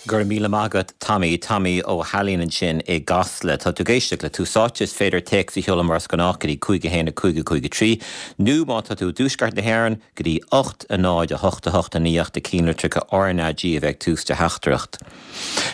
Go raibh míle maith agat Tommy. Tommy Ó hAilín ansin i gCasla. Tá tú ag éisteacht le Tús Áite. Is féidir téacs a sheoladh mar is gnách go dtí 5 1 5 5 3 nó má tá tú i dtuaisceart na hÉireann go dtí 8 0 8 8 9 ach do cinnlitreacha RnaG a bheith ag tús do theachtaireacht.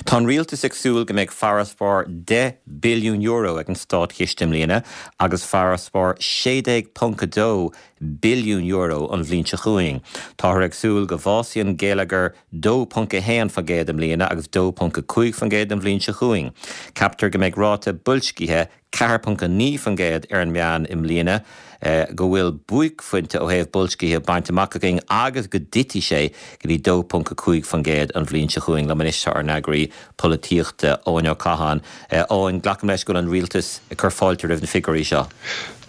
Tá an rialtas ag súil go mbeidh farasbarr €10 billiún ag an státchiste i mbliana agus farasbarr €16.2 billiún an bhliain seo chugainn. Táthar ag súil go bhfásfaidh an geilleagar 2.1% i mbliana agus 2.5% an bhliain seo chugainn. Ceaptar go mbeidh ráta boilscithe 4.9% ar an meán i mbliana, go bhfuil buaicphointe ó thaobh boilscithe bainte amach againn agus go dtitfidh sé go dtí 2.5% an bhliain seo chugainn. Liom anois tá ár n-eagraí polaitíochta, Eoin Ó Catháin. Eoin, glacaim leis go bhfuil an rialtas ag cur fáilte roimh na figiúirí seo.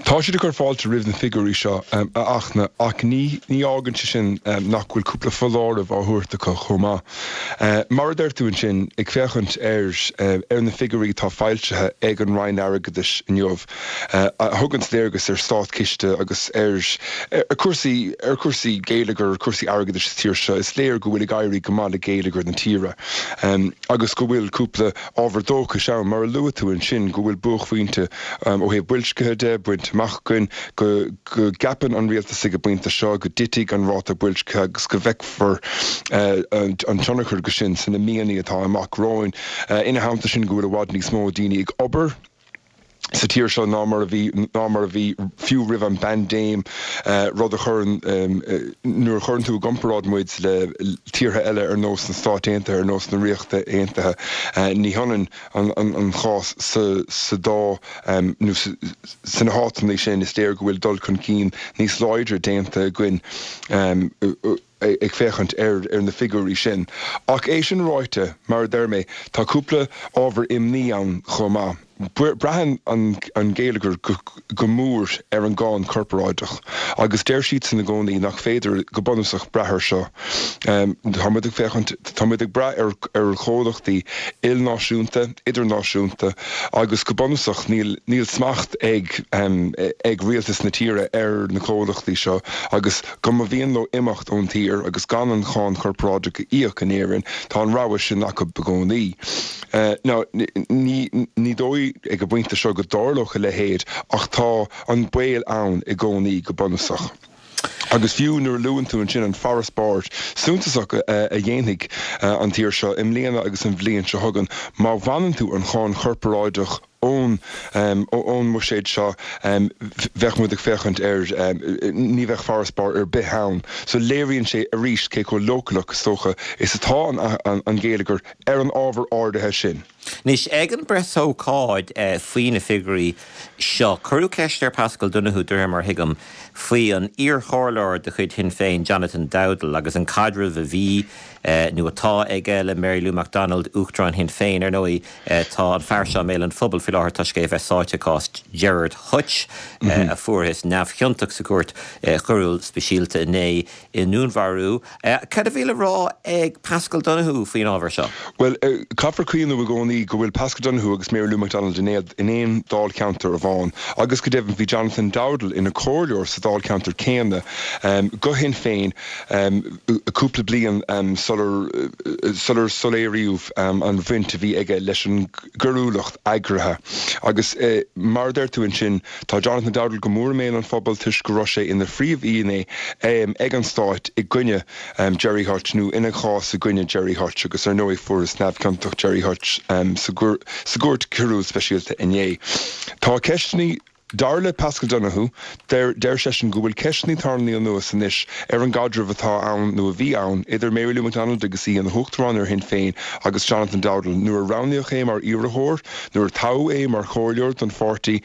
Tá siad ag cur fáilte roimh na figiúirí seo, a Fhachtna, ach ní fhágann sé sin nach bhfuil cúpla foláireamh á thabhairt acu chomh maith. Mar a deir tú ansin, ag féachaint ar ar na figiúirí atá foilsithe ag an Roinn Airgeadais inniu, a thuganns léargas ar státchiste agus ar chúrsaí ar chúrsaí geilleagair, ar chúrsaí airgeadais sa tír seo, is léir go bhfuil ag éirí go maith le geilleagar na tíre agus go bhfuil cúpla ábhar dóchais ann, mar a luaigh tú ansin, go bhfuil buaicphointe ó thaobh boilscithe de bainte amach againn, go gceapann an rialtas ag an bpointe seo go dtitfidh an ráta boilscithe agus go bhfeicfear an tionchar de sin sna míonna atá amach romhainn. Ina theannta sin, go bhfuil i bhfad níos mó daoine ag obair sa tír seo ná mar a bhí ná mar a bhí fiú roimh an bpaindéim, rud a chuireann, nuair a chuireann tú i gcomparáid muid le tíortha eile ar nós na Stáit Aontaithe, ar nós na Ríochta Aontaithe, ní hionann an chás sa dá nó sna háiteanna sin. Is léir go bhfuil dul chun cinn níos láidre déanta againn ag féachaint ar na figiúirí sin. Ach é sin ráite, mar a deir mé, tá cúpla ábhar imní ann chomh maith. Braitheann an geilleagar go mór ar an gcáin chorparáideach agus deir siadsan i gcónaí nach féidir go bunúsach brath air seo. Tá muid ag féachaint, tá muid ag brath ar chomhlachtaí ilnáisiúnta, idirnáisiúnta agus go bunúsach níl, níl smacht ag, ag rialtas na tíre ar na comhlachtaí seo agus go mba mhian leo imeacht ón tír agus gan an cháin chorparáideach a íoc in Éirinn, tá an rogha sin acu i gcónaí. Now, ní dóigh ag an bpointe seo go dtarlódh a leithéid ach tá an baol ann i gcónaí go bunúsach. Agus fiú nuair a luann tú ansin an farasbarr suntasach a dhéanfaidh an tír seo i mbliana agus an bhliain seo chugainn, má bhaineann tú an cháin chorparáideach ón ón mbuiséad seo, bheadh muid ag féachaint ar, ní bheadh farasbarr ar bith ann. So léiríonn sé arís cé chomh leochaileach, is dócha, is atá an geilleagar ar an ábhar áirithe sin. Anois, ag an bpreasócáid faoi na figiúirí seo, cuireadh ceist ar Paschal Donohoe, de réir mar a thuigim, faoi an iarchomhairleoir de chuid Shinn Féin, Jonathan Dowdall, agus an caidreamh a bhí nó atá aige le Mary Lou McDonald, Uachtarán Shinn Féin. Ar ndóigh, tá an fear seo i mbéal an phobail faoi láthair toisc é a bheith sáite i gcás Gerard Hutch, a fuarthas neamhchiontach sa Chúirt Choiriúil Speisialta inné i ndúnmharú. Cad a bhí le rá ag Paschal Donohoe faoin ábhar seo? Bhuel, caithfear cuimhneamh i gcónaí go bhfuil Paschal Donohoe agus Mary Lou McDonald in aon dáilcheantar amháin agus go deimhin bhí Jonathan Dowdall ina chomhairleoir sa dáilcheantar céanna do Shinn Féin cúpla bliain sular sular soiléiríodh an bhaint a bhí aige leis an gcoiriúlacht eagraithe. Agus mar a deir tú ansin, tá Jonathan Dowdall go mór i mbéal an phobail toisc go raibh sé ina phríomhfhinné ag an Stát i gcoinne Gerry Hutch, nó ina chás i gcoinne Gerry Hutch, agus ar ndóigh fuarthas neamhchiontach Gerry Hutch sa gCúirt Choiriúil Speisialta inné. Tá ceisteanna. Dar le Paschal Donohoe, deir seisean go bhfuil ceisteanna tarraingthe anuas anois ar an gcaidreamh atá ann nó a bhí ann idir Mary Lou McDonald agus í ina huachtarán ar Shinn Féin agus Jonathan Dowdall nuair a roghnaíodh é mar iarrthóir, nuair a toghadh é mar chomhairleoir don pháirtí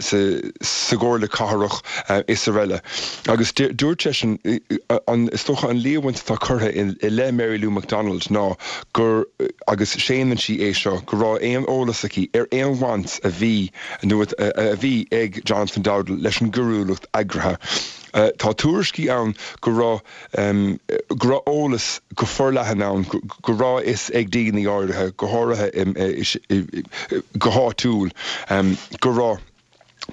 sa gComhairle Cathrach is araile. Agus dúirt seisean, is dócha an líomhaint atá curtha i leith Mary Lou McDonald ná gur, agus séanann sí é seo, go raibh aon eolas aici ar aon bhaint a bhí nó a bhí ag Jonathan Dowdall leis an gcoiriúlacht eagraithe. Tá tuairiscí ann go raibh go raibh eolas go forleathan ann go raibh a fhios ag daoine áirithe, go háirithe go háitiúil, go raibh.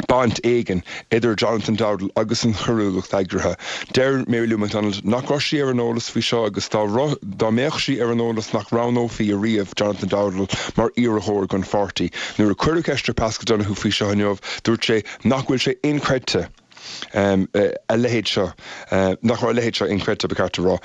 Baint éigin idir Jonathan Dowdall agus an choiriúlacht eagraithe. Deir Mary Lou McDonald nach raibh sí ar an eolas faoi seo agus dá dá mbeadh sí ar an eolas nach roghnófaí ariamh Jonathan Dowdall mar iarrthóir don pháirtí. Nuair a cuireadh ceist ar Paschal Donohoe faoi seo inniu, dúirt sé nach bhfuil sé inchreidte a leithéid seo, nach raibh a leithéid seo inchreidte, ba cheart a rá,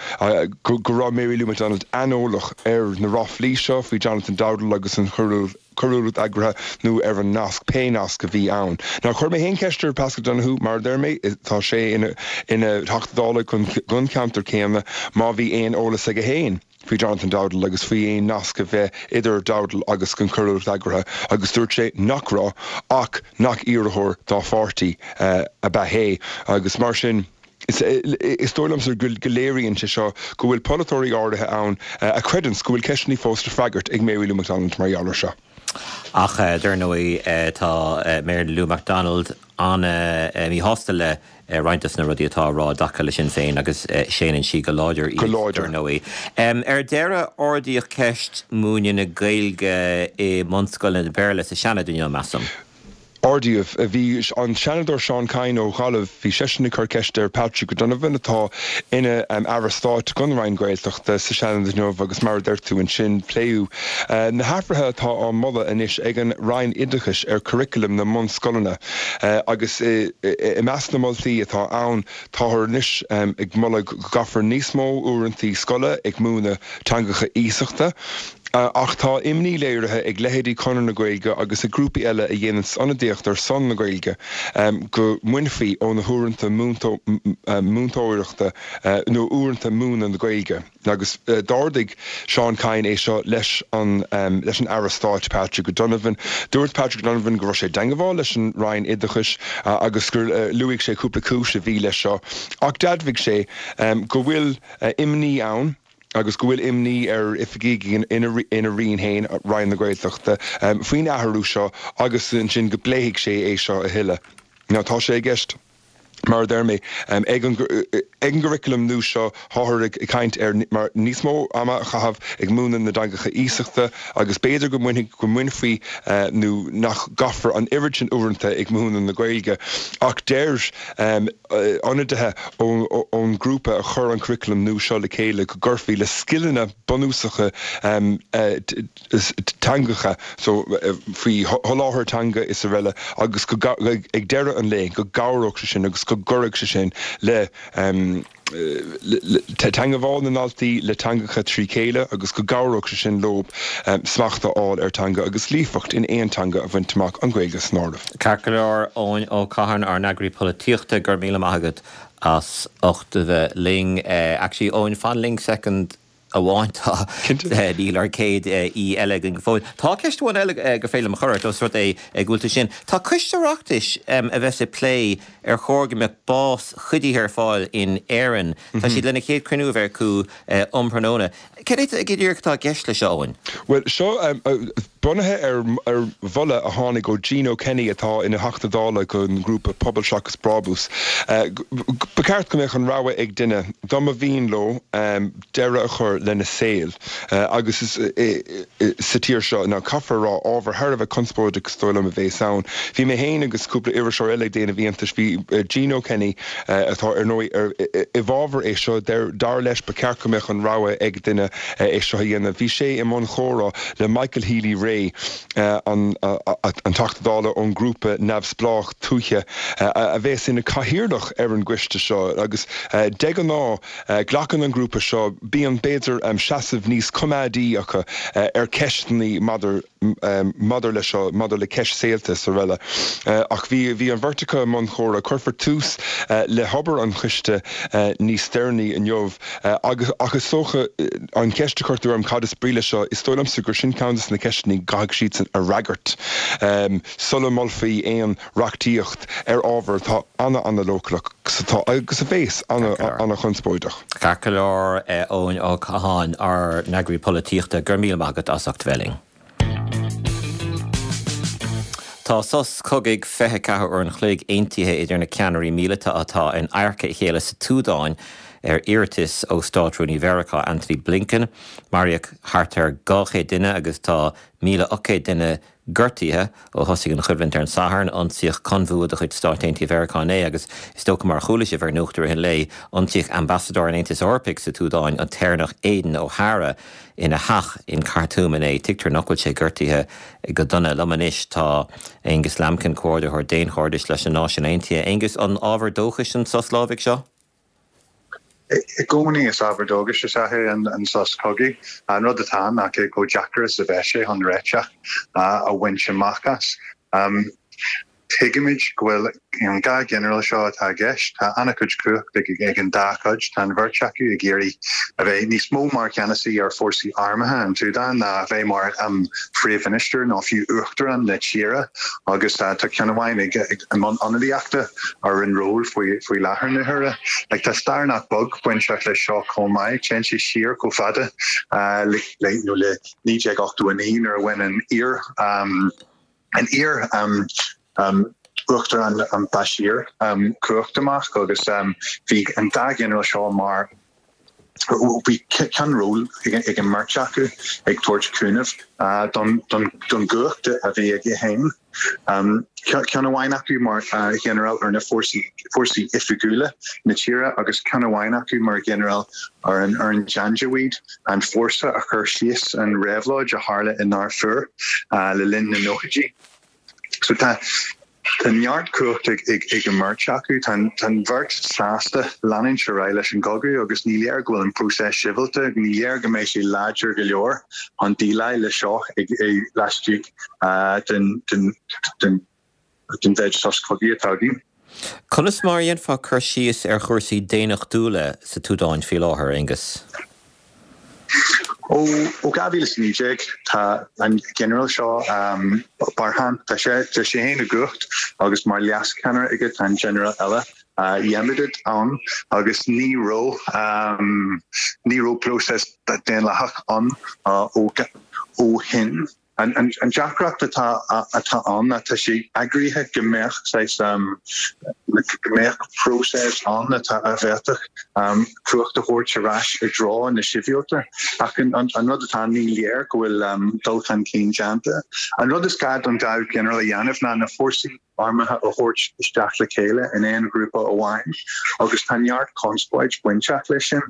go raibh Mary Lou McDonald aineolach ar na ráflaí seo faoi Jonathan Dowdall agus an choiriúlacht eagraithe nó ar an nasc, pé nasc a bhí ann. Now chuir mé féin ceist ar Paschal Donohoe, mar a deir mé, tá sé ina Theachta Dála don cheantar céanna, má bhí aon eolas aige féin faoi Jonathan Dowdall agus faoi aon nasc a bheith idir Dowdall agus an choiriúlacht eagraithe agus dúirt sé nach raibh ach nach iarrthóir dá pháirtí ab ea é agus mar sin Is dóigh liomsa go léiríonn sé seo go bhfuil polaiteoirí áirithe ann a chreideanns go bhfuil ceisteanna fós le freagairt ag Mary Lou McDonald mar gheall air seo. Ach dar ndóigh tá Mary Lou McDonald an-mhíshásta le roinnt de na rudaí atá á rá i dtaca le Sinn Féin agus séanann sí go láidir iad dar ndóigh. Ar deireadh ardaíodh ceist múineadh na Gaeilge i mbunscoileanna Béarla sa Seanad inniu, measaim. Ardaíodh. Bhí an Seanadóir Seán Kyne ó Ghaillimh, bhí seisean ag cur ceiste ar Patrick O'Donovan, atá ina Aire Stáit don Roinn Gaeltachta, sa Seanad inniu agus mar a deir tú ansin, pléadh na hathruithe atá á moladh anois ag an Roinn Oideachais ar churaclam na mbunscoileanna agus i measc na moltaí atá ann, táthar anois ag moladh go gcaithfear níos mó uaireanta scoile ag múineadh teangacha iasachta. Ach tá imní léirithe ag leithéidí Conradh na Gaeilge agus ag grúpaí eile a dhéananns ionadaíocht ar son na Gaeilge go mbainfí ó na huaireanta múinteoireachta nó uaireanta múineadh na Gaeilge. Agus d'ardaigh Seán Kyne é seo leis an leis an Aire Stáit Patrick O'Donovan. Dúirt Patrick O'Donovan go raibh sé i dteangmháil leis an Roinn Oideachais agus gur luaigh sé cúpla cúis a bhí leis seo ach d'admhaigh sé go bhfuil imní ann agus go bhfuil imní ar oifigigh ina Roinn féin, Roinn na Gaeltachta, faoin athrú seo agus ansin go bpléifidh sé é seo a thuilleadh. Now tá sé i gceist, mar a deir mé, ag an gcuraclam nua seo, táthar ag caint ar níos mó ama a chaitheamh ag múineadh na dteangacha iasachta agus b'fhéidir go mbainfidh, go mbainfí nó nach gcaithfear an oiread sin uaireanta ag múineadh na Gaeilge ach deir ionadaithe ón ngrúpa a chuir an curaclam nua seo le chéile go gcuirfí le scileanna bunúsacha teangacha so faoi sholáthar teanga is araile agus go ag deireadh an lae go gcabhródh sé sin agus go gcuirfeadh sé sin le teangabháil na ndaltaí le teangacha trí chéile agus go gcabhródh sé sin leo smacht a fháil ar teanga agus líofacht in aon teanga a bhaint amach, an Ghaeilge san áireamh. Ceart go leor, Eoin Ó Catháin, ár n-eagraí polaitíochta, go raibh míle maith agat as ucht a bheith linn. Actually, Eoin, fan linn soicind amháin, tá, níl ár gcéad aoi eile againn go fóill. Tá ceist amháin eile gur féidir liom a chur ort, os rud é go bhfuil tú ansin. Tá coiste Oireachtais a bheas ag plé ar chóir go mbeadh bás cuidithe ar fáil in Éirinn. Tá siad lena chéad chruinniú a bheith acu um thráthnóna. Cad é go díreach atá i gceist leis seo, Eoin? Bhuel, seo bunaithe ar mholadh a tháinig ó Gino Kenny atá ina Theachta Dála don ghrúpa Pobal Seachas Brabús. Ba cheart go mbeadh an rogha ag duine, dá mba mhian leo, deireadh a chur lena saol agus sa tír seo. Now, caithfear a rá, ábhar thar a bheith conspóideach is dóigh liom a bhéas ann. Bhí mé féin agus cúpla iriseoir eile ag déanamh iontais. Bhí Gino Kenny, atá ar ndóigh i bhfabhar é seo, dar leis ba cheart go mbeadh an rogha ag duine é seo a dhéanamh. Bhí sé i mbun chomhrá le Michael Healy-Rae, an Teachta Dála ón ngrúpa neamhspleách Tuaithe, a bhéas ina chathaoirleach ar an gcoiste seo agus de ghnáth, Glacann an grúpa seo, bíonn, b'fhéidir, seasamh níos coimeádaí acu ar cheisteanna maidir maidir leis seo, maidir le ceist saolta is araile. Ach bhí bhí an bheirt acu i mbun chomhrá. Cuirfear tús le hobair an choiste níos deireanaí inniu agus ach is dócha an cheist a chuir tú orm cad is brí leis seo, is dóigh liomsa gur sin ceann de na ceisteanna go gcaithfidh siadsan a fhreagairt sula molfaí aon reachtaíocht ar ábhar atá ana-ana-leochaileach agus atá, agus a bhéas, ana-ana-chonspóideach. Ceart go leor, Eoin Ó Catháin, ár n-eagraí polaitíochta, go raibh míle maith agat as ucht bheith linn. Tá sos cogaidh 24 uair an chloig aontaithe idir na ceannairí míleata atá in adharca a chéile sa tSúdáin. ar iarratas ó Stát-Rúnaí Mheiriceá, Antony Blinken. Maraíodh thart ar 200 duine agus tá 1,800 duine gortaithe ó thosaigh an choimhlint ar an Satharn. Ionsaíodh conbhua de chuid Stáit Aontaithe Mheiriceá inné agus is dócha mar a chuala sibh ar Nuacht i rith an lae, ionsaíodh ambasadóir an Aontais Eorpaigh sa tSúdáin, an tÉireannach Aidan O'Hara, ina theach in Khartoum inné. Tuigtear nach bhfuil sé gortaithe go dona. Liom anois tá Aonghus Lambkin, Comhordaitheoir Daonchairdis leis na Náisiúin Aontaithe. Aonghus, an ábhar dóchais an sos lámhaigh seo? I gcónaí is ábhar dóchais is ea é an sos cogaidh. An rud atá ann ná cé chomh deacair is a bheas sé chun réiteach a bhaint amach as. Tuigimid go bhfuil an dá ghinearál seo atá i gceist, tá an-chuid cumhacht ag an dá chuid, tá an bheirt acu ag iarraidh a bheith níos mó mar cheannasaí ar fórsaí armtha an tSúdáin ná a bheith mar phríomh-mhinistir nó fiú uachtarán na tíre agus tá ceann amháin ag i mbun ionadaíochta ar an ról faoi láthair na huaire. Like, tá stair nach beag bainteach leis seo chomh maith. Téann sé siar chomh fada le le 1989 nuair a bhain an iar an iar uachtarán an Bashir cumhacht amach agus bhí an dá ghinearál seo mar Bhí ceannról ag an mbeirt acu ag tabhairt cúnaimh don gcumhacht a bhí aige féin. Ceann amháin acu mar ghinearál ar na fórsaí oifigiúla na tíre agus ceann amháin acu mar ghinearál ar an Janjaweed, an fórsa a chuir síos an réabhlóid a tharla i nDarfur le linn na nóchaidí. So tá Tá neart cumhacht ag an mbeirt acu. Tá an bheirt sásta leanúint ar aghaidh leis an gcogadh agus ní léir go bhfuil an próiseas sibhialta, ní léir go mbeidh sé láidir go leor chun déileáil leis seo laistigh den mhéid sos cogaidh atá againn. Conas mar a dhéanfá cur síos ar chúrsaí daonnachtúla sa tSúdáin faoi láthair, Aonghus? Ó 2019 tá an ginearál seo, Burhan, tá sé tá sé féin i gcumhacht agus mar leascheannaire aige tá an ginearál eile, Hemedti, ann agus ní raibh ní raibh próiseas daonlathach ann ó ó shin. An deacracht atá atá ann ná tá sé eagraithe go mbeadh saghas go mbeadh próiseas ann atá a bhféadfadh cumhacht a thabhairt ar ais i dtreo na sibhialta ach an rud atá ann ní léir go bhfuil dul chun cinn déanta. An rud is gá don dá ghinearál a dhéanamh ná na fórsaí armtha a thabhairt isteach le chéile in aon ghrúpa amháin agus tá neart conspóid bainteach leis sin.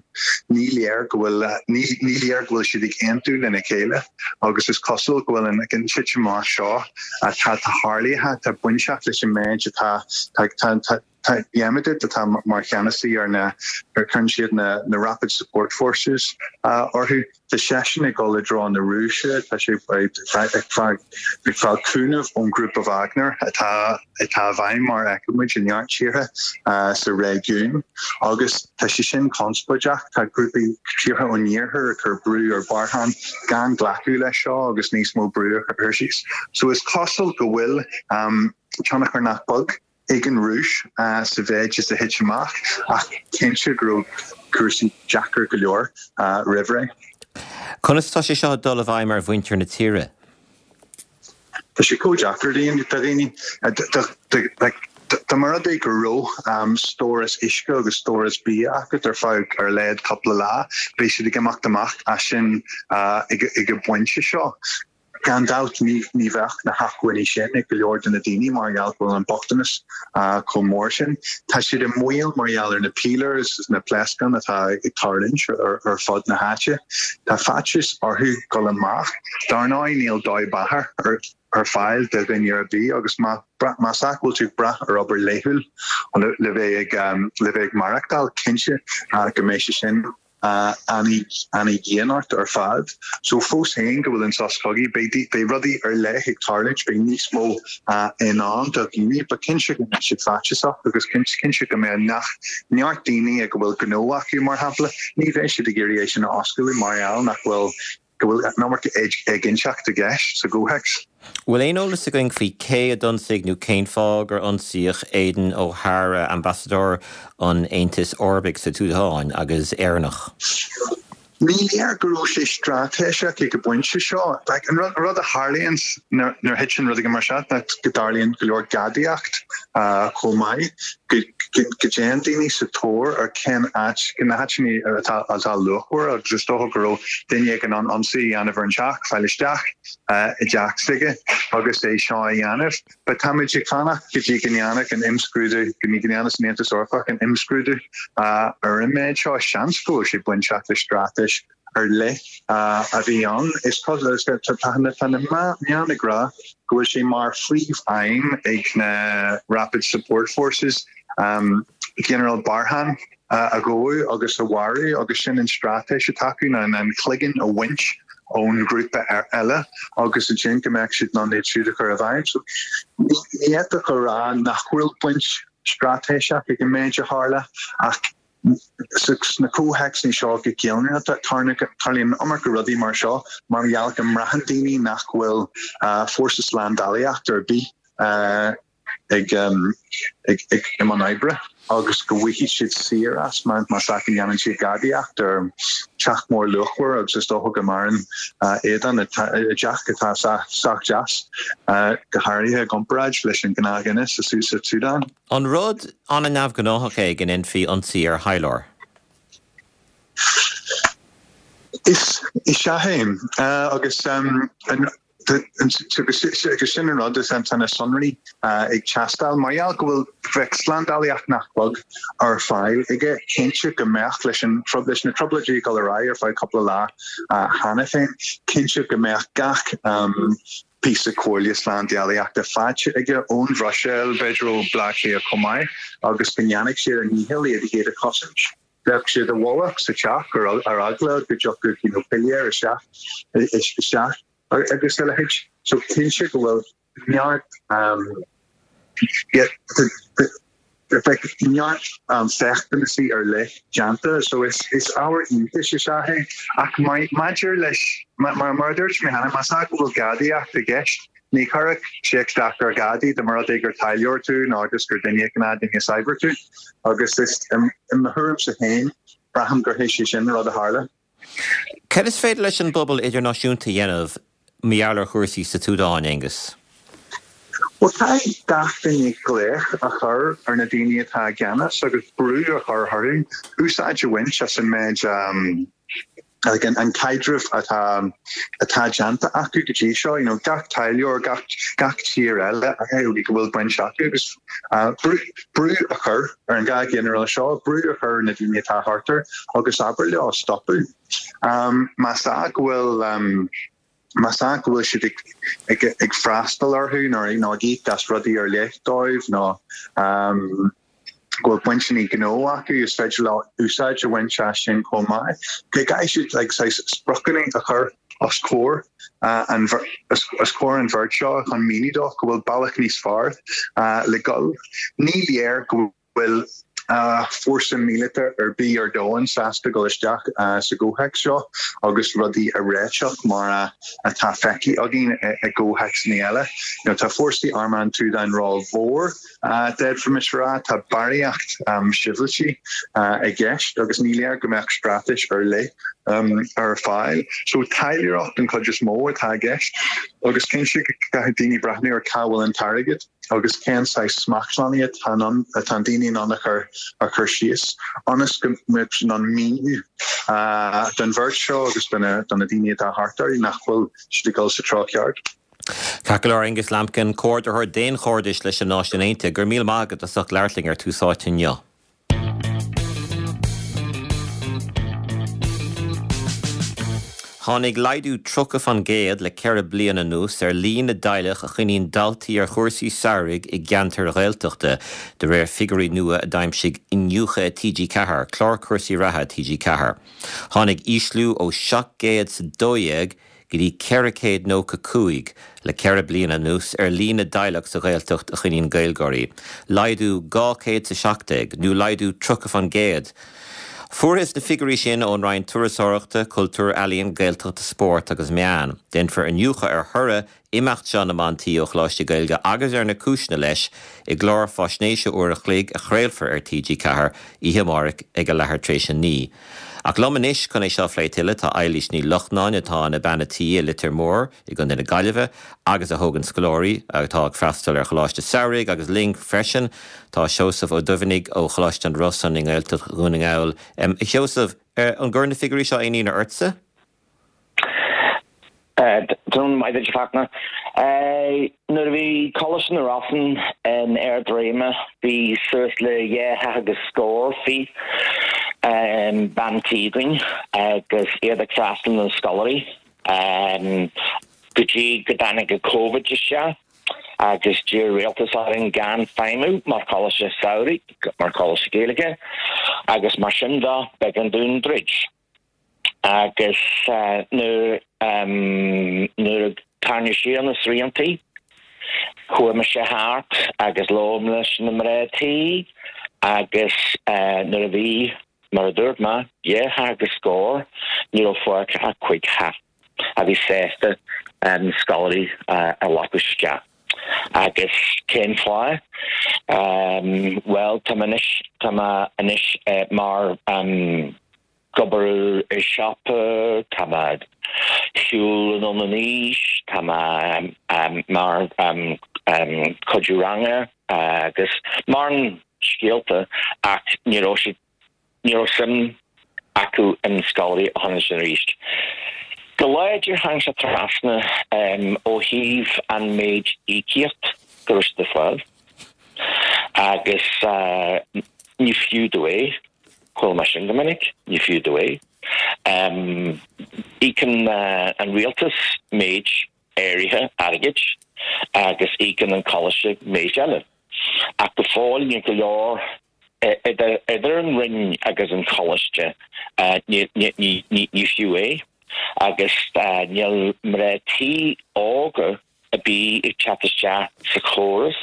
Ní léir go bhfuil ní léir go bhfuil siad ag aontú lena chéile agus is cosúil go bhfuil an titim amach seo atá tarlaithe, tá bainteach leis an méid atá tá tá tá Hemedti atá mar cheannasaí ar na ar cuireann siad na na Rapid Support Forces orthu. Tá seisean ag dul i dtreo na Rúise, tá sé ag fáil cúnamh ón ghrúpa Wagner atá i bhfeidhm mar a fheicimid i neart tíortha sa réigiún agus tá sé sin conspóideach. Tá grúpaí tíortha ón iarthar ag cur brú ar Burhan gan glacadh leis seo agus níos mó brú a chur síos. So is cosúil go bhfuil tionchar nach beag ag an Rúis sa mhéid is a thit amach, ach cinnte go raibh cúrsaí deacair go leor roimh ré. Conas tá sé seo ag dul i bhfeidhm ar mhuintir na tíre? Tá sé chomh deacair do dhaoine. Dá mba rud é go raibh stóras uisce agus stóras bia acu ar feadh ar a laghad cúpla lá, beidh siad ag imeacht amach as sin ag an bpointe seo. Gan dabht, ní bheadh na hacmhainní sin ag go leor de na daoine mar gheall go bhfuil an bochtanas chomh mór sin. Tá siad i mbaol mar gheall ar na pílear is na pléascáin atá ag tarlúint ar fud na háite. Tá faitíos orthu dul amach. Dar ndóigh, níl dóigh beatha ar fáil do dhuine ar bith agus más ea go bhfuil tú ag brath ar obair laethúil le bheith ag maireachtáil, cinnte go mbeidh sé sin ana-dhian ort ar fad. So fós féin go bhfuil an sos cogaidh, beidh beidh rudaí ar leith ag tarlúint, beidh níos mó i ndán do dhaoine. But cinnte go mbeidh siad faitíosach agus cinnte go mbeidh nach neart daoine ag a bhfuil gnó acu mar shampla, ní bheidh siad ag iarraidh é sin a oscailt mar gheall nach bhfuil go bhfuil an iomarca éiginnteacht i gceist sa gcomhthéacs. Bhfuil aon eolas againn faoi cé a d'ionsaigh nó cén fáth gur ionsaíodh Aidan O'Hara, ambasadóir an Aontais Eorpaigh sa tSúdáin agus Éireannach? Ní léir go raibh sé straitéiseach ag an bpointe seo. An rud a tharlaíonn nuair a thiteann rud éigin mar seo ná go dtarlaíonn go leor gadaíocht chomh maith. Go dtéann daoine sa tóir ar cén áit, na háiteanna atá atá luachmhar agus is dócha go raibh duine éigin in ann ionsaí a dhéanamh ar an teach, fáil isteach i dteach s'aige agus é seo a dhéanamh. But táimid ag fanacht go dtí go ndéanfadh an imscrúdú, go ndéanfas an Aontas Eorpach an imscrúdú ar an méid seo. Seans go bhfuil sé bainteach le straitéis ar leith a bhí ann. Is cosúil, tá na meáin ag rá go bhfuil sé mar phríomh-aidhm ag na Rapid Support Forces Ginearál Burhan a ghabhadh agus a mharú agus sin an straitéis atá acu ná an cloigeann a bhaint ón ghrúpa eile agus ansin go mbeadh siad in ann iad siúd a chur i bhfeidhm. So ní fhéadfadh a rá nach bhfuil baint straitéiseach ag an méid a tharla ach sna comhthéacsanna seo go ginearálta tarlaíonn an iomarca rudaí mar seo mar gheall go mbraitheann daoine nach bhfuil fórsa slándálaíochta ar bith ag i mbun oibre agus go bhfaighidh siad saor as más ea go ndéanann siad gadaíocht ar teach mór luachmhar agus is dócha go maireann éadan i dteach atá sách deas, go háirithe i gcomparáid leis an gnáthdhuine sa tSúdáin. An rud an-neamhghnáthach é go ndéanfaí ionsaí ar thaidhleoir? Is ea é agus Agus sin an rud, is tá na sonraí ag teastáil. Mar gheall go bhfuil, bheadh slándálaíocht nach beag ar fáil aige, cinnte go mbeadh, leis an, leis na trioblóidí ag dul ar aghaidh ar feadh cúpla lá cheana féin, cinnte go mbeadh gach píosa comhairle slándálaíochta faighte aige ón Bhruiséil, b'fhéidir ó Bhleá Cliath chomh maith, agus go ndéanfadh siad a ndícheall iad iad a chosaint. Bheadh siad i bhfolach sa teach ar eagla go dtiocfadh you know piléar isteach isteach agus a leithéid. So cinnte go bhfuil neart bheadh neart féachtanasí ar leith déanta. So is is ábhar iontais is ea é. Ach maidir leis mar mar a dúirt mé cheana, más ea go bhfuil gadaíocht i gceist, Ní chuirfeadh sé isteach ar ghadaí dá mba rud é gur taidhleoir tú nó agus gur duine gnáthduine saibhir tú. Agus is, i mo thuairimse féin, braithim gur hé sé sin an rud a tharla. Cad is féidir leis an bpobal idirnáisiúnta a dhéanamh mar gheall ar chúrsaí sa tSúdáin, Aengus? Bhuel, caithfidh gach duine glaoch a chur ar na daoine atá i gceannas agus brú a chur orthu úsáid a bhaint as an méid an caidreamh atá atá déanta acu go dtí seo, you know, gach taidhleoir, gach gach tír eile go bhfuil baint acu agus brú brú a chur ar an 2 ghinearál seo, brú a chur ar na daoine atá thart air agus abair leo stopadh. Más ea go bhfuil más ea go bhfuil siad ag ag freastal orthu nó ag íoc as rudaí ar leith dóibh nó go bhfuil bainteanna gnó acu, is féidir leo úsáid a bhaint as sin chomh maith. Go gcaithfidh siad like saghas spriocanna a chur os comhair an os comhair an bheirt seo chun míniú dóibh go bhfuil bealach níos fearr le dul. Ní léir go bhfuil fórsa míleata ar bith ar domhan sásta dul isteach sa gcomhthéacs seo agus rudaí a réiteach mar atá feicthe againn i gcomhthéacsanna eile. You know, tá fórsaí armtha an tSúdáin rómhór, d'fhéadfaimis a rá. Tá barraíocht sibhialtaigh i gceist agus ní léir go mbeadh straitéis ar leith ar fáil. So taidhleoireacht an chuid is mó atá i gceist agus cinnte go gcaithfidh daoine breathnú ar cá bhfuil an t-airgead. agus cén saghas smachtbhannaí atá in ann, atá an daoine in ann a chur, a chur síos ionas go mbeadh siad in ann míniú don bheirt seo agus do na, do na daoine atá thart orthu nach bhfuil siad ag dul sa treo ceart. Ceart go leor, Aengus Lambkin, Comhordaitheoir Daonchairdis leis na Náisiúin Aontaithe, go raibh míle maith agat as ucht labhairt linn ar Tús Áite inniu. Tháinig laghdú 30% le 4 bliana anuas ar líon na dteaghlach a choinníonn daltaí ar chúrsaí samhraidh i gceantair Ghaeltachta, de réir figiúirí nua a d'aimsigh Iniúchadh TG4, clár cúrsaí reatha TG4. Tháinig ísliú ó 712 go dtí 495 le 4 bliana anuas ar líon na dteaghlach sa Ghaeltacht a choinníonn Gaeilgeoirí, laghdú 217, nó laghdú 30%. Fuarthas na figiúirí sin ón Roinn Turasóireachta, Cultúir, Ealaíon, Gaeltachta, Spóirt agus Meán. Déanfar iniúchadh ar thoradh. imeacht seo na mban tí ó Choláistí Gaeilge agus ar na cúiseanna leis i gclár faisnéise uair a chloig a chraolfar ar TG4 oíche amárach ag a leathuair tar éis a 9. Ach liom anois chun é seo a phlé tuilleadh tá Eilís Ní Lochnáin atá ina bean a tí i Leitir Móir i gContae na Gaillimhe agus a thógann scoláirí atá ag freastal ar Choláiste Samhraidh agus linn freisin tá Seosamh Ó Duibheannaigh ó Choláiste an Rosann i nGaeltacht Dhún na nGall. A Sheosaimh, an gcuireann na figiúirí seo aon ionadh ortsa? Tráthnóna maith duit, a Fhachtna. Nuair a bhí Coláiste na Rosann in ard a réime bhí suas le 2 theach agus scór fiche bean tí againn agus iad ag freastal na scoláirí go dtí go dtáinig an Covid isteach agus d'iarr rialtas orainn gan feidhmiú mar choláiste samhraidh, mar choláiste Gaeilge agus mar sin de b'éigean dúinn druid. Agus nuair nuair a tarraingíodh siar na sriantaí, chuaigh mise thart agus labhair mé leis na mná tí agus nuair a bhí, mar a dúirt mé, 2 theach agus scór, ní raibh fágtha ach 5 theach a bhí sásta scoláirí a ghlacadh isteach. Agus cén fáth? Bhuel, tá mé anois, tá mé anois mar ag obair i siopa, tá mé ag siúl anonn in aois, tá mé mar cuidiú ranga agus mórán scéalta ach ní raibh siad, ní raibh suim acu in scoláirí a choinneáil sin arís. Go láidir tháinig sé trasna ó thaobh an méid íocaíocht go raibh siad ag fáil agus ní fiú domh é. Chuala mé sin go minic, ní fiú domh é. Íocann an rialtas méid áirithe airgid agus íocann an coláiste méid eile. Ach go fóill níl go leor idir an Roinn agus an coláiste, ní fiú é. Agus níl mná tí óga ar bith ag teacht isteach sa chóras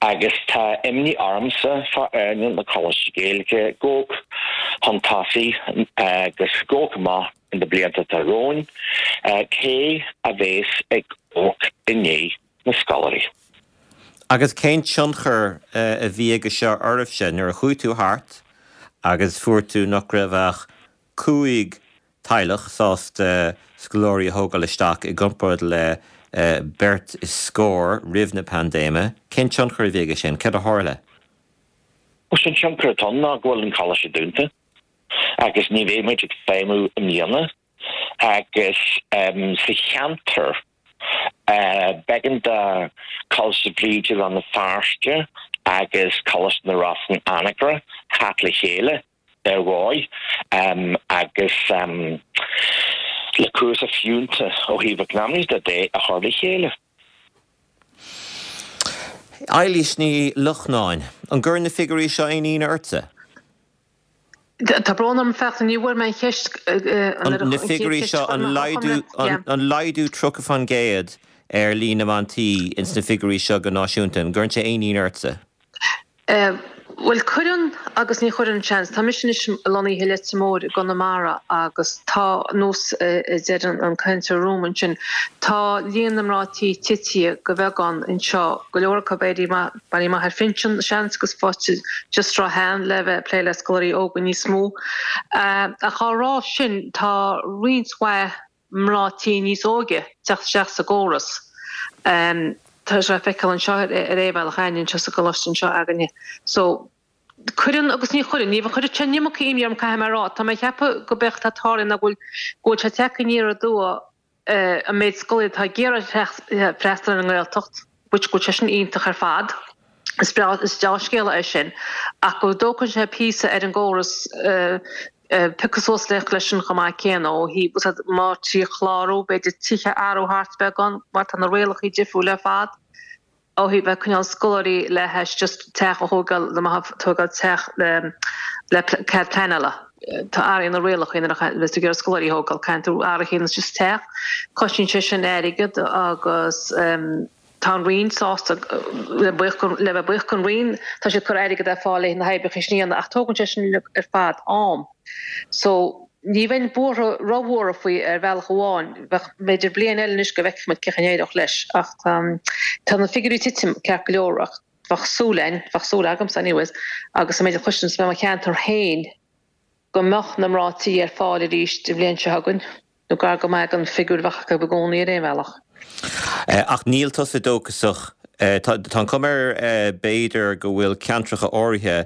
agus tá imní ormsa fá earnáil na Coláiste Gaeilge ag gabháil chun tosaigh agus ag gabháil amach in na blianta atá romhainn, cé a bhéas ag amharc i ndiaidh na scoláirí. Agus cén tionchar a bhí aige seo oraibhse nuair a chuaigh tú thart agus fuair tú nach raibh ach 5 teaghlach sásta scoláirí a thógáil isteach i gcomparáid le beirt is scór roimh na paindéime. Cén tionchar a bhí aige sin? Céard a tharla? Bhuel, sé an tionchar atá ann ná go bhfuil an coláiste dúnta agus ní bheidh muid ag feidhmiú i mbliana agus sa cheantar b'éigean do Choláiste Bhríde Rann na Feirste agus Coláiste na Rosann Anagaire theacht le chéile. ar dhóigh agus le cúrsa fiúntach ó thaobh eacnamaíochta de a chur le chéile. Eilís Ní Lochnáin, An gcuireann na figiúirí seo aon ionadh ortsa? Tá brón orm, Fachtna, ní bhfuair mé an cheist. Na figiúirí seo, an laghdú, an laghdú 30% ar líon na mban tí ins na figiúirí seo go náisiúnta, an gcuireann sé aon ionadh ortsa? Bhuel, cuireann agus ní chuireann, seans. Tá mise anois lonnaithe i Leitir Móir i gConamara agus tá, nós a deir an cainteoir romham ansin, tá líon na mná tí titithe de bheagán anseo, go leor acu ag éirí amach, éirí amach ar phinsean, seans, agus faighte just tráth le bheith ag plé le scoláirí óga níos mó. Ach á rá sin, tá roinnt mhaith mná tí níos óige teacht isteach sa gcóras. Tá sé le feiceáil anseo ar aon bhealach againne anseo sa gcoláiste anseo againne. So, cuireann agus ní chuireann. Ní chuirfeadh sé an iomarca imní orm caithfidh mé a rá. Tá mé ag ceapadh go b'é atá ag tarlú ná go bhfuil go bhfuil sé ag teacht aniar aduaidh an méid scoláirí atá ag iarraidh freastal ar an nGaeltacht. which go bhfuil sé sin iontach ar fad, is breá, is deá-scéala é sin, ach go dtógann sé píosa ar an gcóras piocadh suas leis sin chomh maith céanna ó thaobh, má trí chlárú, b'fhéidir tithe a athrú thart beagán mar tá na rialacha difriúil ar fad ó thaobh bheith coinneáil scoláirí le hais just teach a thógáil, le má tógáil teach le le cead pleanála. Tá athraithe na rialacha nuair a bheas tú ag iarraidh scoláirí a thógáil, caithfidh tú athraithe ar nós just teach. Cosnaíonn sé sin airgead agus tá an Roinn sásta, le bheith buíoch don Roinn, tá siad ag cur airgead ar fáil le na hoibreacha sin a dhéanamh ach tógann sé sin uilig ar fad am. So. Ní bheinn buartha, róbhuartha faoi ar bhealach amháin. Bheadh, b'fhéidir bliain eile anois go bhfeicfidh muid cén chaoi a n-éireodh leis ach tá na figiúirí ag titim ceart go leor ach bheadh súil againn, bheadh súil agamsa anyways, agus an méid a chloisimse i mo cheantar féin go mbeadh na mná tí ar fáil arís an bhliain seo chugainn nó gar go maith don figiúr a bheadh acu i gcónaí ar aon bhealach. Ach níl tusa dóchasach. Tá an chuma air b'fhéidir go bhfuil ceantracha áirithe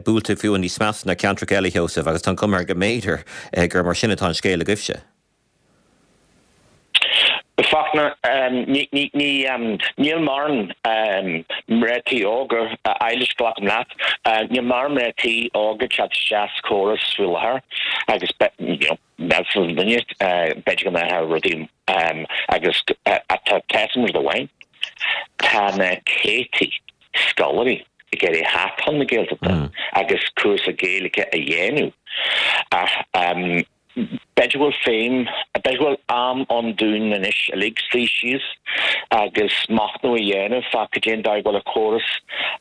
buailte fiú níos measa ná ceantracha eile, a Sheosaimh, agus tá an chuma air go mb'fhéidir gur mar sin atá an scéal agaibhse. Fachtna, Níl mórán mná tí óga, Eilís, glacaim leat, níl mórán mná tí óga ag teacht isteach sa chóras faoi láthair agus measfar an duine, b'fhéidir go mbeadh rudaí agus tá tá rud amháin, tá na céadtaí scoláirí ag iarraidh theacht chun na Gaeltachta agus cúrsa Gaeilge a dhéanamh ach b'fhéidir go bhfuil feidhm, b'fhéidir go bhfuil am ann dúinn anois uilig suí síos agus machnamh a dhéanamh fá cad é an dóigh go bhfuil an córas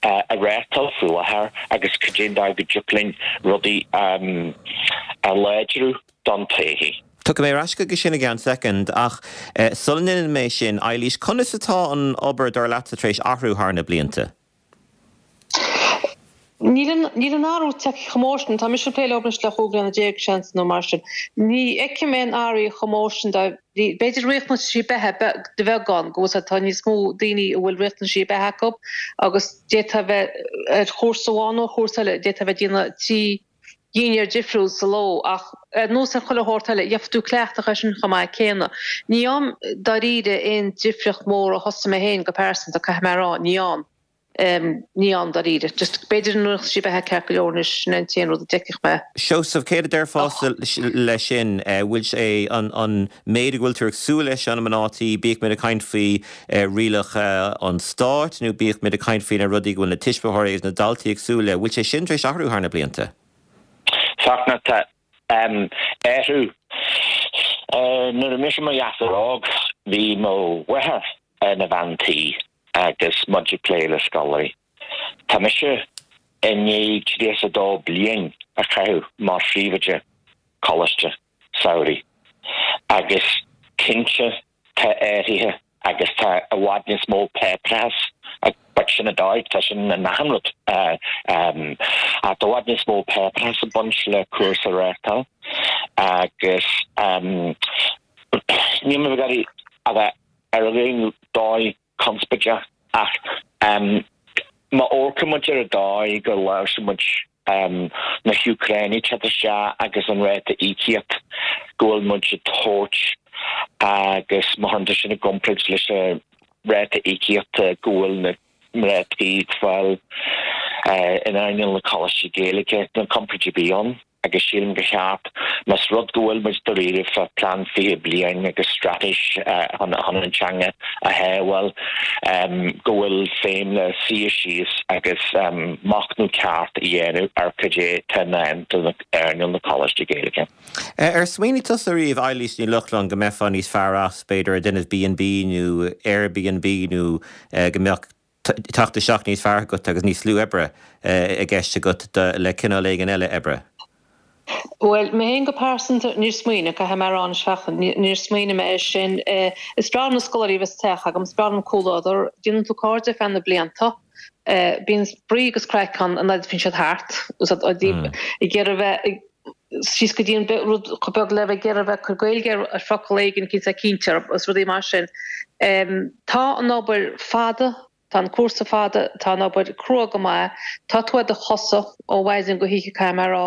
á reáchtáil faoi láthair agus cad é an dóigh go dtiocfadh linn rudaí a láidriú don todhchaí. Tiocfaidh mé ar ais chuige sin i gceann soicind, ach sula ndéanann mé sin, Eilís, conas atá an obair, dar leatsa, tar éis athrú thar na blianta? Níl an, níl an athrú tagtha chomh mór sin. Tá mise ag plé leo anois le 15 bliana, seans, nó mar sin. Ní fheicim aon athrú chomh mór sin dá, b'fhéidir riachtanaisí beatha de bheagán, go bhfuil sé, tá níos mó daoine a bhfuil riachtanaisí beatha acu agus d'fhéadfá a bheith ar chúrsa amháin nó ar chúrsa eile, d'fhéadfá a bheith ag déanamh 3 dhinnéar difriúil sa ló ach ar nós ar chuile shórt eile, gheobhaidh tú cleachtadh air sin chomh maith céanna. Ní fheicim dáiríre aon difríocht mhór ó thosaigh mé féin go pearsanta, caithfidh mé a rá, ní fheicim. Ní fheicim dáiríre. Just b'fhéidir na riachtanaisí beatha ceart go leor anois, sin é an t-aon rud a d'fheicfeadh mé. Seosamh, céard a déarfása leis sin? Bhfuil sé an méid a bhfuil tú ag súil leis ó na mná tí, bíodh muid ag caint faoi rialacha an stáit nó bíodh muid ag caint faoi na rudaí go bhfuil na tuismitheoirí agus na daltaí ag súil le, bhfuil sé sin tar éis athrú thar na blianta? Fachtna, tá athrú. Nuair a bhí mise i mo ghasúr óg, bhí mo mháthair ina bhean tí agus muid ag plé le scoláirí. Tá mise i ndiaidh 32 bliain a chaitheamh mar phríomhoide coláiste samhraidh agus cinnte tá athruithe agus tá i bhfad níos mó páipéarachas but sin an dóigh, tá sin in achan rud ach tá i bhfad níos mó páipéarachas ag baint le cúrsa a reáchtáil agus níl mé ag iarraidh a bheith ar aon dóigh conspóideach ach má amharcann muid ar an dóigh go láimhseáil muid na hÚcránaigh ag teacht isteach agus an ráta íocaíocht go bhfuil muid ag tabhairt agus má chuireann tú sin i gcomparáid leis an ráta íocaíochta go bhfuil na mná tí ag fáil in earnáil na coláistí Gaeilge, níl comparáid ar bith ann. agus sílim gur cheart, más rud go bhfuil muid dáiríre fá plean 20 bliain agus straitéis chun an teanga a shábháil, go bhfuil feidhm le suí síos agus machnamh ceart a dhéanamh ar cad é atá i ndán do earnáil na Coláiste Gaeilge. Ar smaoinigh tusa riamh, Eilís Ní Lochlainn, go mbeifeá níos fearr as, b'fhéidir, ag déanamh B&B nó Airbnb nó go mbeadh teacht isteach níos fearr agat agus níos lú oibre i gceist agat le cineál éigin eile oibre? Bhuel, mé féin go pearsanta, níor smaoinigh, caithfidh mé a rá anois a Fhachtna, níor smaoinigh mé air sin. Is breá liom na scoláirí a bheith sa teach agam, is breá liom comhluadar. Déanann tú cairde ar feadh na blianta. Bíonn spraoi agus craic ann an fhad a bhíonn siad thart, ag iarraidh bheith síos go dtí an rud chomh beag le bheith ag iarraidh bheith ag cur Gaeilge ar focal éigin cinnte cinnte agus rudaí mar sin. Tá an obair fada, tá an cúrsa fada, tá an obair crua go maith, tá tú ar do chosa ó mhaidin go hoíche caithfidh mé a rá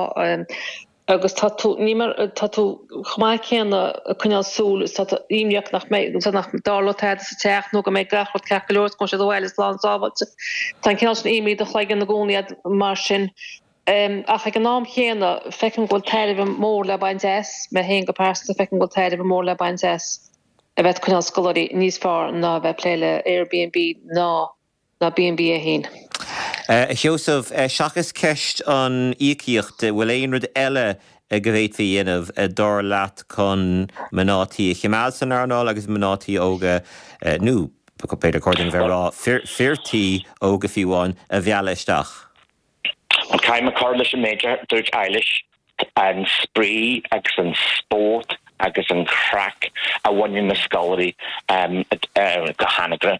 agus tá tú, ní mar, tá tú chomh maith céanna ag coinneáil súil is tá tú imníoch nach mbeidh, nach dtarlóidh tada sa teach nó go mbeidh gach rud ceart go leor is go mbeidh siad abhaile slán sábháilte. Tá an cineál sin imní i do chloigeann i gcónaí mar sin. Ach ag an am chéanna, feicim go bhfuil tairbhe mór le baint as, mé féin go pearsanta, feicim go bhfuil tairbhe mór le baint as a bheith ag coinneáil scoláirí níos fearr ná a bheith ag plé le Airbnb ná ná B&B é féin. A Sheosaimh, seachas ceist an íocaíocht, bhfuil aon rud eile go bhféadfaí a dhéanamh, dar leat, chun mná tí a choimeád san earnáil agus mná tí óga, nó b'fhéidir chóir dúinn a bheith ag rá fir tí óga fiú amháin, a mhealladh isteach? Bhuel, caithfidh mé cur leis an méid a dúirt Eilish. An spraoi agus an spórt agus an chraic a bhaineann na scoláirí go hAnagaire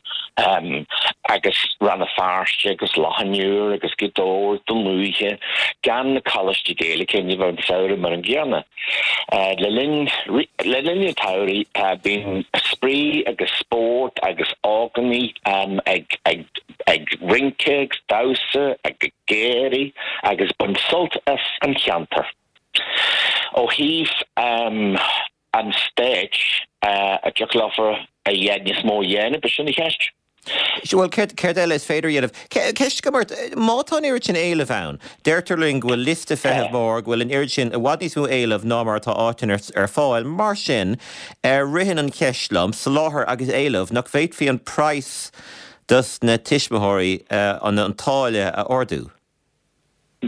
agus Rann na Feirste agus Loch an Iúir agus Gaoth Dobhair, Dún Lúiche, gan na coláistí Gaeilge ní bheadh an samhradh mar an gcéanna. Le linn le linn an tsamhraidh bíonn spraoi agus spórt agus ógánaigh ag ag ag rince agus damhsa ag gáirí agus baint sult as an cheantar. Ó thaobh an stáit a dtiocfadh leofa a dhéanamh níos mó a dhéanamh, b'shin an cheist. Bhuel, céard eile is féidir a dhéanamh? Ceist agam ort, má tá an oiread sin éilimh ann, deirtear linn go bhfuil liosta feithimh mór, go bhfuil an oiread sin, i bhfad níos mó éilimh ná mar atá áiteanna ar fáil, mar sin, ritheann an cheist liom, soláthar agus éileamh, nach bhféadfaí an praghas dos na tuismitheoirí, an táille a ardú?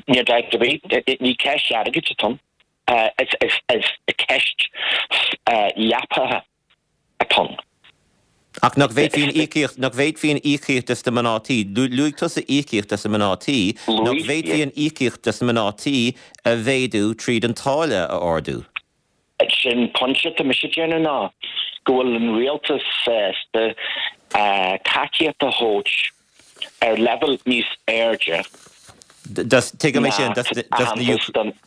Níl dabht ar bith, ní ceist airgid atá ann, is ceist leapacha atá ann. Ach nach bhféadfaí an íocaíocht, nach bhféadfaí an íocaíocht dos na mná tí, luaigh tusa íocaíocht dos na mná tí, nach bhféadfaí an íocaíocht dos na mná tí a mhéadú tríd an táille a ardú? Sin pointe atá mise ag déanamh ná go bhfuil an rialtas sásta tacaíocht a thabhairt ar leibhéal níos airde Tuigim é sin,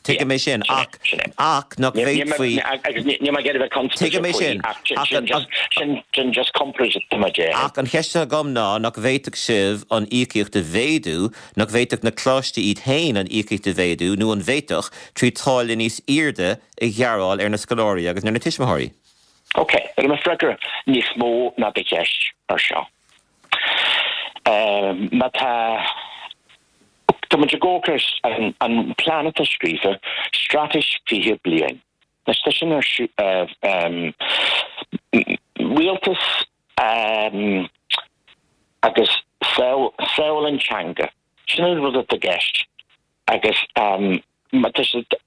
tuigim é sin, ach, ach nach bhféadfaí. Agus níl mé ag iarraidh a bheith conspóideach Tuigim é sin, ach sin sin just comparáid atá mé ag déanamh. Ach an cheist atá agam ná nach bhféadfadh sibh an íocaíocht a mhéadú, nach bhféadfadh na coláistí iad féin an íocaíocht a mhéadú, nó an bhféadfadh, trí táille níos airde a ghearáil ar na scoláirí agus ar na tuismitheoirí. Ok, beidh mo freagra níos mó ná do cheist ar seo. Má tá, tá muid ag amharc ar an plean atá scríofa, Straitéis 20 Bliain. Anois tá sin ar rialtas agus sábháil an teanga. Sin an rud atá i gceist. Agus má tá siad,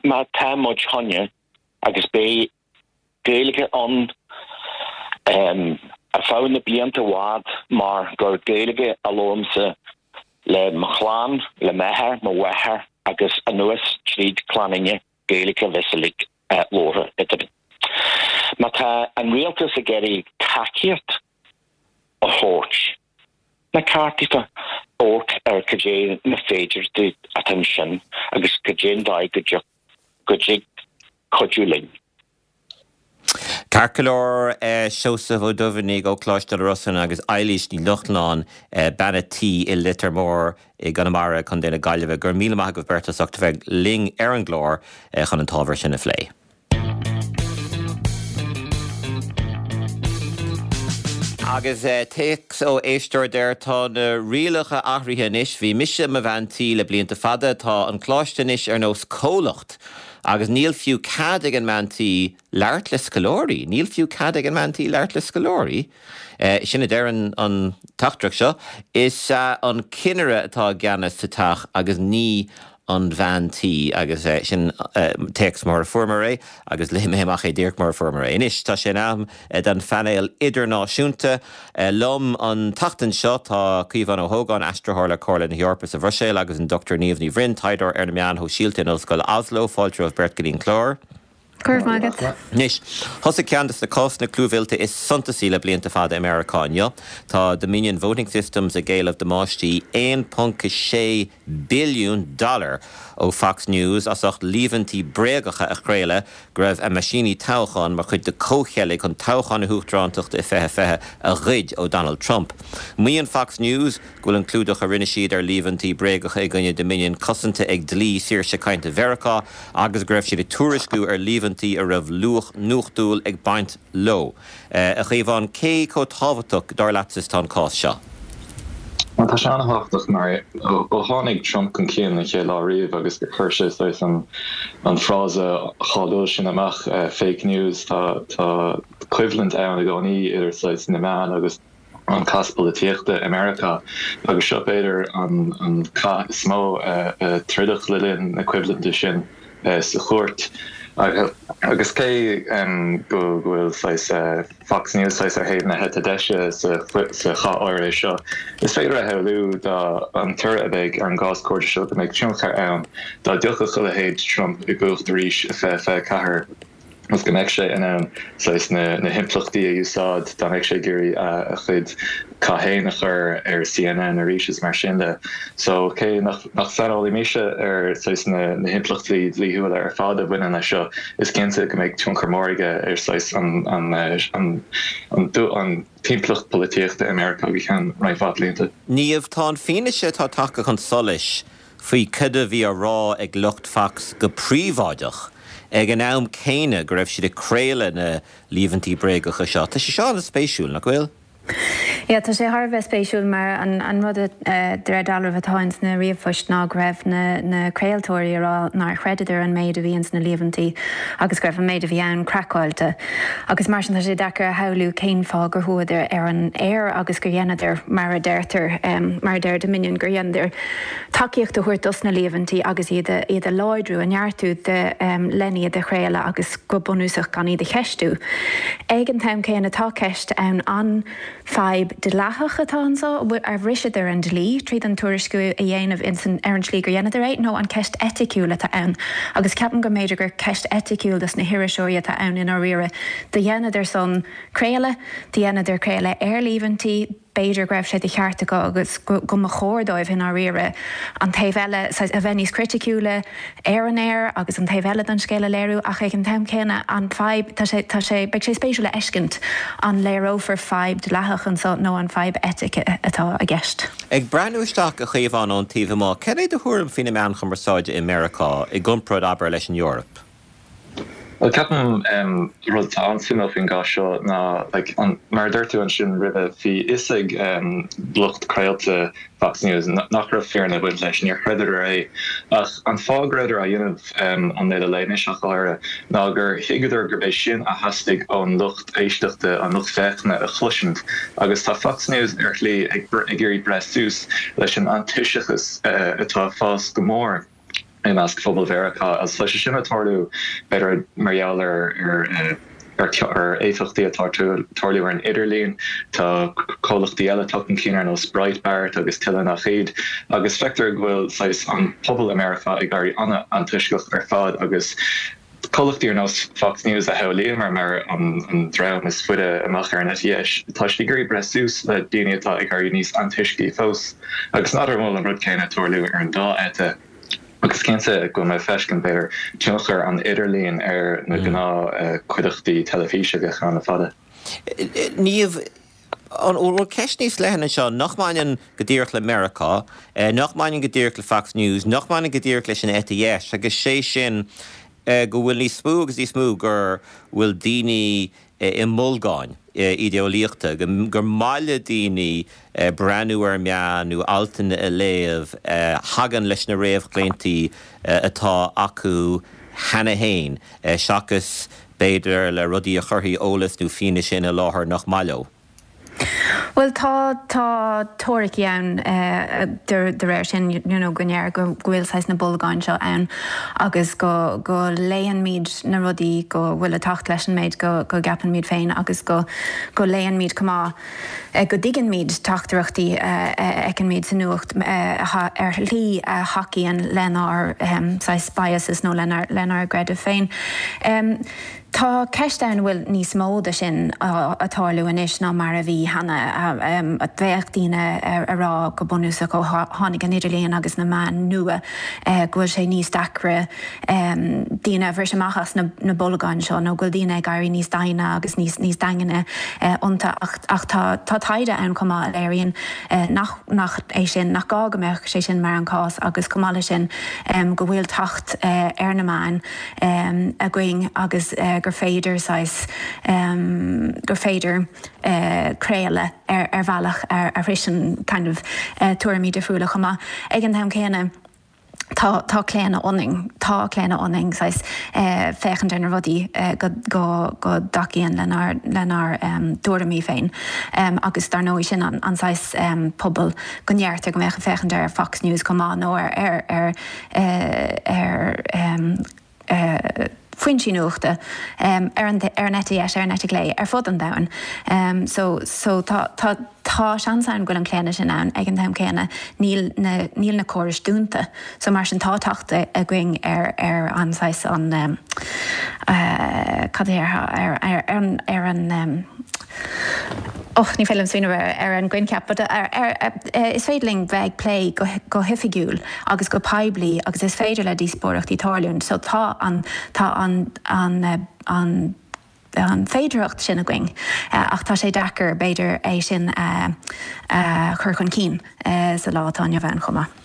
má tá muid choinne agus beidh Gaeilge ann ar feadh na blianta i bhfad mar gur Gaeilge a labhraímse le mo chlann, le m'athair, mo mháthair agus anuas tríd clann Fhine, Gaeilge a bheas uilig labhartha eadrainn. Má tá an rialtas ag iarraidh tacaíocht a thabhairt, ba cheart daofa amharc ar cad é na féidearthachtaí atá ansin agus cad é an dóigh go dtiocfadh go dtig cuidiú linn. Ceart go leor, Seosamh Ó Duibheannaigh ó Choláiste na Rosann agus Eilís Ní Lochlainn, bean a' tí i Leitir Móir i gConamara, Contae na Gaillimhe. Go raibh míle maith agaibh beirt as ucht a bheith linn ar an gclár chun an t-ábhar sin a phlé. Agus téacs ó éisteoir deir tá na rialacha athraithe anois, bhí mise i mo bhean tí le blianta fada, tá an coláiste anois ar nós comhlacht agus níl fiú cead ag an mbean tí labhairt le scoláirí, níl fiú cead ag an mbean tí labhairt le scoláirí. Sin a deir an teachtaireacht seo. Is é an cinnire atá i gceannas sa teach agus ní an bhean tí agus sin téacs mar a fuaireamar é agus léigh mé amach é díreach mar a fuaireamar é. Anois tá sé in am don phainéal idirnáisiúnta. Liom an tseachtain seo tá Caomhán Ó hÓgáin, aistritheoir le Comhairle na hEorpa sa Bhruiséil agus an Dr Niamh Ní Bhroin, taighdeoir ar na meáin shóisialta in Ollscoil Oslo. Fáilte romhaibh beirt go dtí an clár. Go raibh maith agat. Anois, thosaigh ceann de na cásanna clúmhillte is suntasaí le blianta fada i Meiriceá inniu. Tá Dominion Voting Systems ag éileamh damáistí 1.6 billiún dollar ó Fox News as ucht líomhaintí bréagacha a chraoladh go raibh a meaisíní toghcháin mar chuid de comhcheilg chun toghchán na huachtarántachta i 2020 a ghoid ó Donald Trump. Maíonn Fox News go bhfuil an clúdach a rinne siad ar líomhaintí bréagacha i gcoinne Dominion cosanta ag dlí saoirse cainte Mheiriceá agus go raibh siad ag tuairisciú ar líomhaintí a raibh luach nuachtúil ag baint leo. A Chaomháin, cé chomh tábhachtach, dar leatsa, is atá an cás seo? Bhuel, tá sé an-thábhachtach mar ó tháinig Trump chun cinn an chéad lá riamh agus gur chuir sé saghas an an frása cháiliúil sin amach, fake news, tá tá coimhlint ann i gcónaí idir saghas na meáin agus an cath polaitíochta i Meiriceá agus seo b'fhéidir an cath is mó a troideadh le linn na coimhlinte sin. sa chúirt. Agus cé go bhfuil saghas Fox News saghas ar thaobh na heite deise sa chath áirithe seo, is féidir a shamhlú dá an toradh a bheidh ar an gcás cúirte seo go mbeidh tionchar ann dá dtiocfadh a leithéid Trump i gcumhacht arís i 2024. agus go mbeadh sé in ann saghas na himpleachtaí a úsáid dá mbeadh sé ag iarraidh a chuid cath féin a chur ar CNN arís is mar sin de. So cé nach saineolaí mise ar saghas na himpleachtaí dlíthiúla ar fad a bhaineann leis seo, is cinnte go mbeidh tionchar mór aige ar saghas an an an timpeallacht polaitíochta i Meiriceá go ceann roinnt mhaith blianta. Niamh, tá an fianaise atá tagtha chun solais faoi cad a bhí á rá ag lucht Fox go príobháideach ag an am céanna go raibh siad ag craoladh na líomhaintí bréagacha seo. Tá sé seo an-spéisiúil, nach bhfuil? Yeah, tá sé thar a bheith spéisiúil mar an rud de réir dealraimh atá ins na ríomhphoist ná go raibh na na craoltóirí ag rá nár chreideadar an méid a bhí ins na líomhaintí agus go raibh an méid a bhí ann craiceáilte. Agus mar sin tá sé deacair a shamhlú cén fáth gur chuadar ar an aer agus gur dheineadar mar a deirtear, mar a deir Dominion, gur dheineadar tacaíocht a thabhairt dos na líomhaintí agus iad a iad a láidriú, a neartú de len iad a chraoladh agus go bunúsach gan iad a cheistiú. Ag an t-am céanna tá ceist ann an fadhb dleathach atá anseo, ar bhriseadar an dlí tríd an tuairisciú a dhéanamh ins an ar an tslí gur dheineadar é nó an ceist eiticiúil atá ann agus ceapaim go mb'fhéidir gur ceist eiticiúil dos na hiriseoirí atá ann i ndáiríre. Do dheineadar san craoladh, do dheineadar craoladh ar líomhaintí, b'fhéidir go raibh sé de cheart acu agus go mba chóir dóibh i ndáiríre an taobh eile, saghas, a bheith níos criticiúla ar an aer agus an taobh eile den scéal a léiriú ach ag an t-am céanna an fadhb, tá sé, tá sé, beidh sé spéisiúil a fheiscint an léireofar fadhb dleathach anseo nó an fadhb eitice atá i gceist. Ag breathnú isteach, a Chaomháin, ón taobh amuigh, cad é do thuairim faoi na meáin chumarsáide i Meiriceá i gcomparáid, abair, leis an Eoraip? Bhuel, ceapaim rud atá an-suimiúil faoin gcás seo ná, like, an, mar a dúirt tú ansin roimhe, bhí fhios ag lucht craolta Fox News nach raibh fírinne ag baint leis, níor chreideadar é. Ach an fáth go rabhadar á dhéanamh, an Uile Lae Anois ach go háirithe, ná gur thuigeadar gurb é sin a theastaigh ón lucht éisteachta, an lucht féachana a chloisint. Agus tá Fox News ar shlí ag ag iarraidh breith suas leis an antoisceachas atá ag fás go mór. i measc phobal Mheiriceá agus tá sé sin ag tarlú b'fhéidir mar gheall ar ar éifeachtaí atá ag tarlú ar an idirlíon. Tá comhlachtaí eile tagtha chun cinn ar nós Breitbart agus tuilleadh nach iad agus feictear go bhfuil saghas an pobal i Meiriceá ag éirí an-antoisceach ar fad agus comhlachtaí ar nós Fox News a shamhlaíomar mar an dream is faide amach ar an eite dheis, tá siad ag iarraidh breith suas le daoine atá ag éirí níos antoiscí fós. Agus n'fheadar an bhfuil an rud céanna ag tarlú ar an dá eite. Agus cinnte go bhfuil mé ag feiscint, b'fhéidir, tionchar an idirlín ar na gnáthchuideachtaí teilifíse a bheadh ann le fada. Niamh, An bhfuil ceist níos leithne anseo nach mbaineann go díreach le Meiriceá, nach mbaineann go díreach le Fox News, nach mbaineann go díreach leis an eite dheis, agus sé sin go bhfuil níos mó agus níos mó go bhfuil daoine i mbolgáin idéeolaíochta, gur maith le daoine breathnú ar meáin nó altanna a léamh a thagann leis na réamhchlaontaí atá acu cheana féin, seachas b'fhéidir, le rudaí a chuirfidh eolas nó fianaise ina láthair nach maith leo. Bhuel, tá, tá teoiricí ann de réir sin, you know, go ndeir go bhfuil saghas na bolgáin seo ann agus go, go léannmid na rudaí go bhfuil ag teacht leis an méid go, go gceapann muid féin agus go, go léannmid chomh maith. go dtuigeann-muid teachtaireachtaí a fheiceann-muid sa nuacht ar shlí a thacaíonn lenár saghas biases nó lenár gcreideamh féin. Tá ceist ann an bhfuil níos mó de sin ag tarlú anois ná mar a bhí cheana. Bheadh daoine ag rá go bunúsach ó tháinig an idirlíon agus na meáin nua go bhfuil sé níos deacra daoine a bhris amach as na bolgáin seo nó go bhfuil daoine ag éirí níos doimhne agus níos daingne iontu ach tá taighde ann chomh maith a léiríonn nach nach é sin, nach gá go mbeadh sé sin mar an cás agus chomh maith leis sin go bhfuil teacht ar na meáin againn agus gur féidir saghas gur féidir craoladh ar bhealach a shroiseann kind of tuairimí difriúla chomh maith. Ag an t-am céanna. tá, tá claonadh ionainn, tá claonadh ionainn saghas féachaint ar na rudaí go, go, go dtacaíonn lenár, lenár dtuairimí féin. Agus dar ndóigh sin an, an saghas pobal go ndeirtear go mbeadh ag féachaint ar Fox News chomh maith nó ar, ar, ar, ar. Foinsí nuachta ar an ar an eite dheis, ar an eite chlé, ar fud an domhain. So so tá tá tá seans ann go bhfuil an claonadh sin ann ag an t-am céanna níl na níl na córais dúnta. So mar sin tá teacht againn ar ar an saghas an cad é ar ar ar an ar an Och, ní féidir liom smaoineamh ar ar an gcoincheap, but ar ar is féidir linn bheith ag plé go go hoifigiúil agus go poiblí agus is féidir le díospóireachtaí tarlúint so tá an tá an an an an féidearthacht sin againn ach tá sé deacair b'fhéidir é sin a a chur chun cinn sa lá atá inniu ann chomh maith.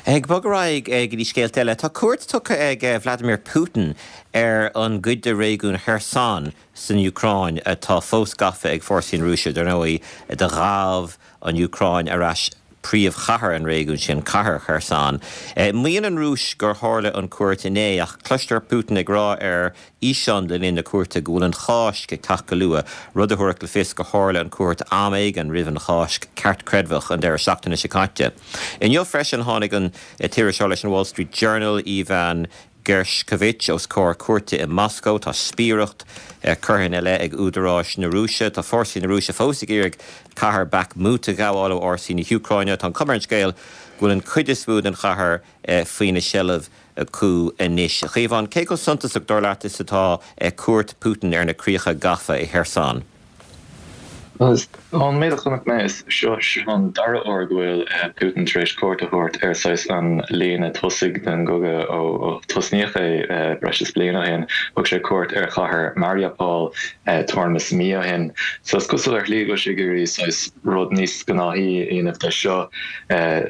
Ag bogadh ar aghaidh go dtí scéalta eile, tá cuairt tugtha ag Vladimir Putin ar an gcuid de réigiún Kherson san Úcráin atá fós gafa ag fórsaí na Rúise. Dar ndóigh, do ghabh an Úcráin ar ais príomhchathair an réigiúin sin, cathair Kherson. Maíonn an Rúis gur tharla an cuairt inné, ach cloistear Putin ag rá ar fhíseán le linn na cuairte go bhfuil an Cháisc ag teacht go luath, rud a thabharfadh le fios gur tharla an cuairt am éigin roimh an Cháisc cheartchreidmheach an deireadh seachtaine seo caite. Inniu freisin tháinig an t-iriseoir leis an Wall Street Journal, Ivan Gershkovich os comhair cúirte i Moscó. Tá spiaireacht curtha ina leith ag údaráis na Rúise. Tá fórsaí na Rúise fós ag iarraidh cathair Bakhmut a ghabháil ó fhórsaí na hÚcráine. Tá an chuma ar an scéal go bhfuil an chuid is mó den chathair faoina seilbh acu anois. A Chaomháin, cé chomh suntasach, dar leat, is atá cuairt Putin ar na críocha gafa i Kherson? Ón méid a chonaic mé, is seo an dara huair go bhfuil Putin tar éis cuairt a thabhairt ar saghas an líne tosaigh den gcogadh ó tosnaíodh é breis is bliain ó shin. Thug sé cuairt ar chathair Mariupol tuairim is mí ó shin. So is cosúil ar shlí go bhfuil sé ag iarraidh saghas rud níos gnáthaí a dhéanamh de seo.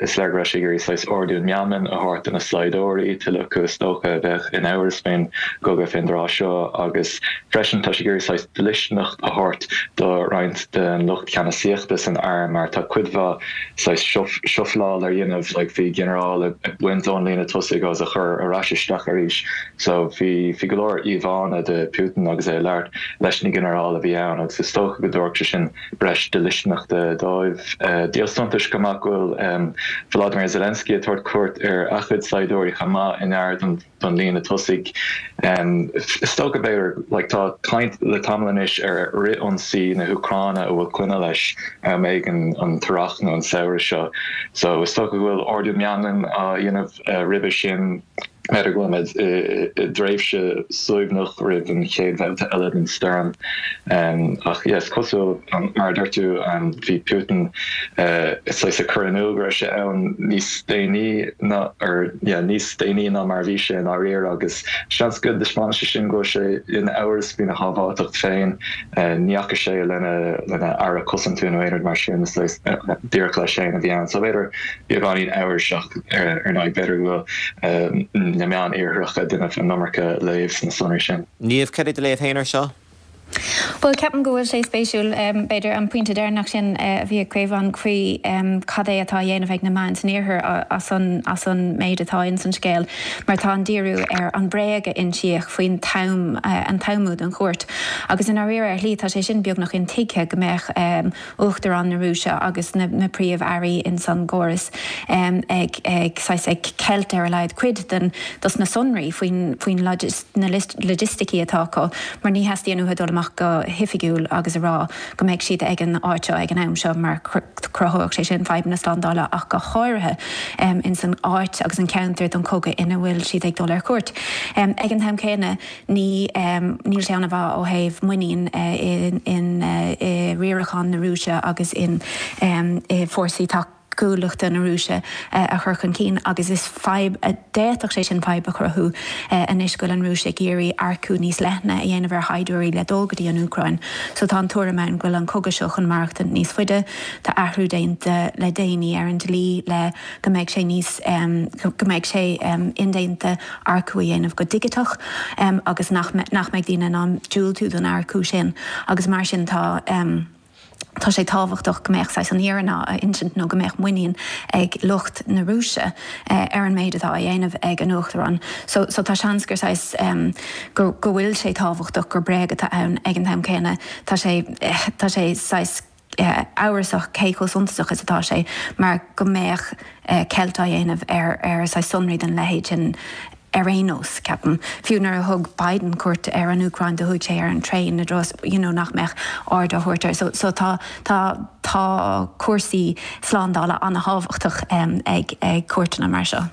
Is léir go raibh sé ag iarraidh saghas ardú meanman a thabhairt do na saighdiúirí, tuilleadh acu is dócha a bheadh in amhras faoin gcogadh fén dtráth seo, agus freisin tá sé ag iarraidh saghas dlisteanacht a thabhairt do roinnt den lucht ceannasaíochta san arm mar tá cuid mhaith saghas shuffle-áil ar dhéanamh, like bhí ginearál ag baint ón líne tosaigh agus a chur ar ais isteach arís so bhí bhí go leor íomhánna de Putin agus é ag labhairt leis na ginearáil a bhí ann agus is dócha go dtabharfadh sé sin breis dlisteanachta dóibh. Díol suntais chomh maith go bhfuil Volodymyr Zelensky ag tabhairt cuairt ar a chuid saighdiúirí chomh maith i ngar don líne tosaigh. Is dócha, b'fhéidir, like tá caint le tamall anois ar fhrith-ionsaí na hÚcráine a bhfuil coinne leis am éigin an t-earrach nó an samhradh seo. So is dócha go bhfuil ardú meanman á dhéanamh roimhe sin. B'fhéidir go bhfuil muid i dtréimhse suaimhneach roimh an chéad bhabhta eile den stoirm. Ach yeah, is cosúil, mar a dúirt tú, bhí Putin saghas ag cur in iúl go raibh sé ann níos déanaí ná, or yeah, níos déanaí ná mar a bhí sé i ndáiríre agus seans go dtaispeánann sé sin go bhfuil sé in amhras faoina shábháilteacht féin. Ní fhaca sé lena lena aire cosanta nó aon rud mar sin, is saghas díreach leis féin a bhí ann. So b'fhéidir beagáinín amhrais ach ar ndóigh b'fhéidir go bhfuil na meáin iartharacha ag déanamh an iomarca léamh sna sonraí sin. Niamh, cad é do léamh féin air seo? Bhuel, ceapaim go bhfuil sé spéisiúil, b'fhéidir, an pointe deireanach sin a bhí ag Caomhán faoi cad é atá á dhéanamh ag na meáin san iarthar as an as an méid atá ins an scéal, mar tá an díriú ar an bréag a insíodh faoin t-am, an t-amú don chuairt. Agus i ndáiríre, ar shlí, tá sé sin beagnach intuigthe go mbeadh Uachtarán na Rúise agus na príomh-airí ins an gcóras ag ag saghas ag ceilt ar a laghad cuid den dos na sonraí faoin faoin na logisticí atá acu mar ní theastaíonn uathu dul amach go hoifigiúil agus a rá go mbeidh siad ag an áit seo ag an am seo mar cruthódh sé sin fadhbanna slándála ach go háirithe ins an áit agus an ceantar don chogadh ina bhfuil siad ag dul ar cuairt. Ag an t-am céanna Ní, níl sé an-mhaith ó thaobh muinín i riarachán na Rúise agus in i bhfórsaí tacúlachta na Rúise a chur chun cinn agus is fadhb, d'fhéadfadh sé sin fadhb a chruthú anois go bhfuil an Rúis ag iarraidh earcú níos leithne a dhéanamh ar shaighdiúirí le dul go dtí an Úcráin. So tá an tuairim ann go bhfuil an cogadh seo chun maireachtaint níos faide. Tá athrú déanta le déanaí ar an dlí le go mbeidh sé níos, go mbeidh sé indéanta earcú a dhéanamh go digiteach agus nach nach mbeidh daoine in ann diúltú don earcú sin agus mar sin tá tá sé tábhachtach go mbeadh saghas an fhírinne á insint nó go mbeadh muinín ag lucht na Rúise ar an méid atá á dhéanamh ag an Uachtarán. So so tá seans gur saghas go go bhfuil sé tábhachtach gur bréag atá ann ag an t-am céanna tá sé tá sé saghas amhrasach cé chomh suntasach is atá sé mar go mbeadh ceilt á dhéanamh ar ar saghas sonraí den leithéid sin. Ar aon nós, ceapaim, fiú nuair a thug Biden cuairt ar an Úcráin do chuaigh sé ar an traein i dtreo you know nach mbeadh aird á thabhairt air. So, so tá, tá, tá cúrsaí slándála an-thábhachtach ag, ag cuairteanna mar seo.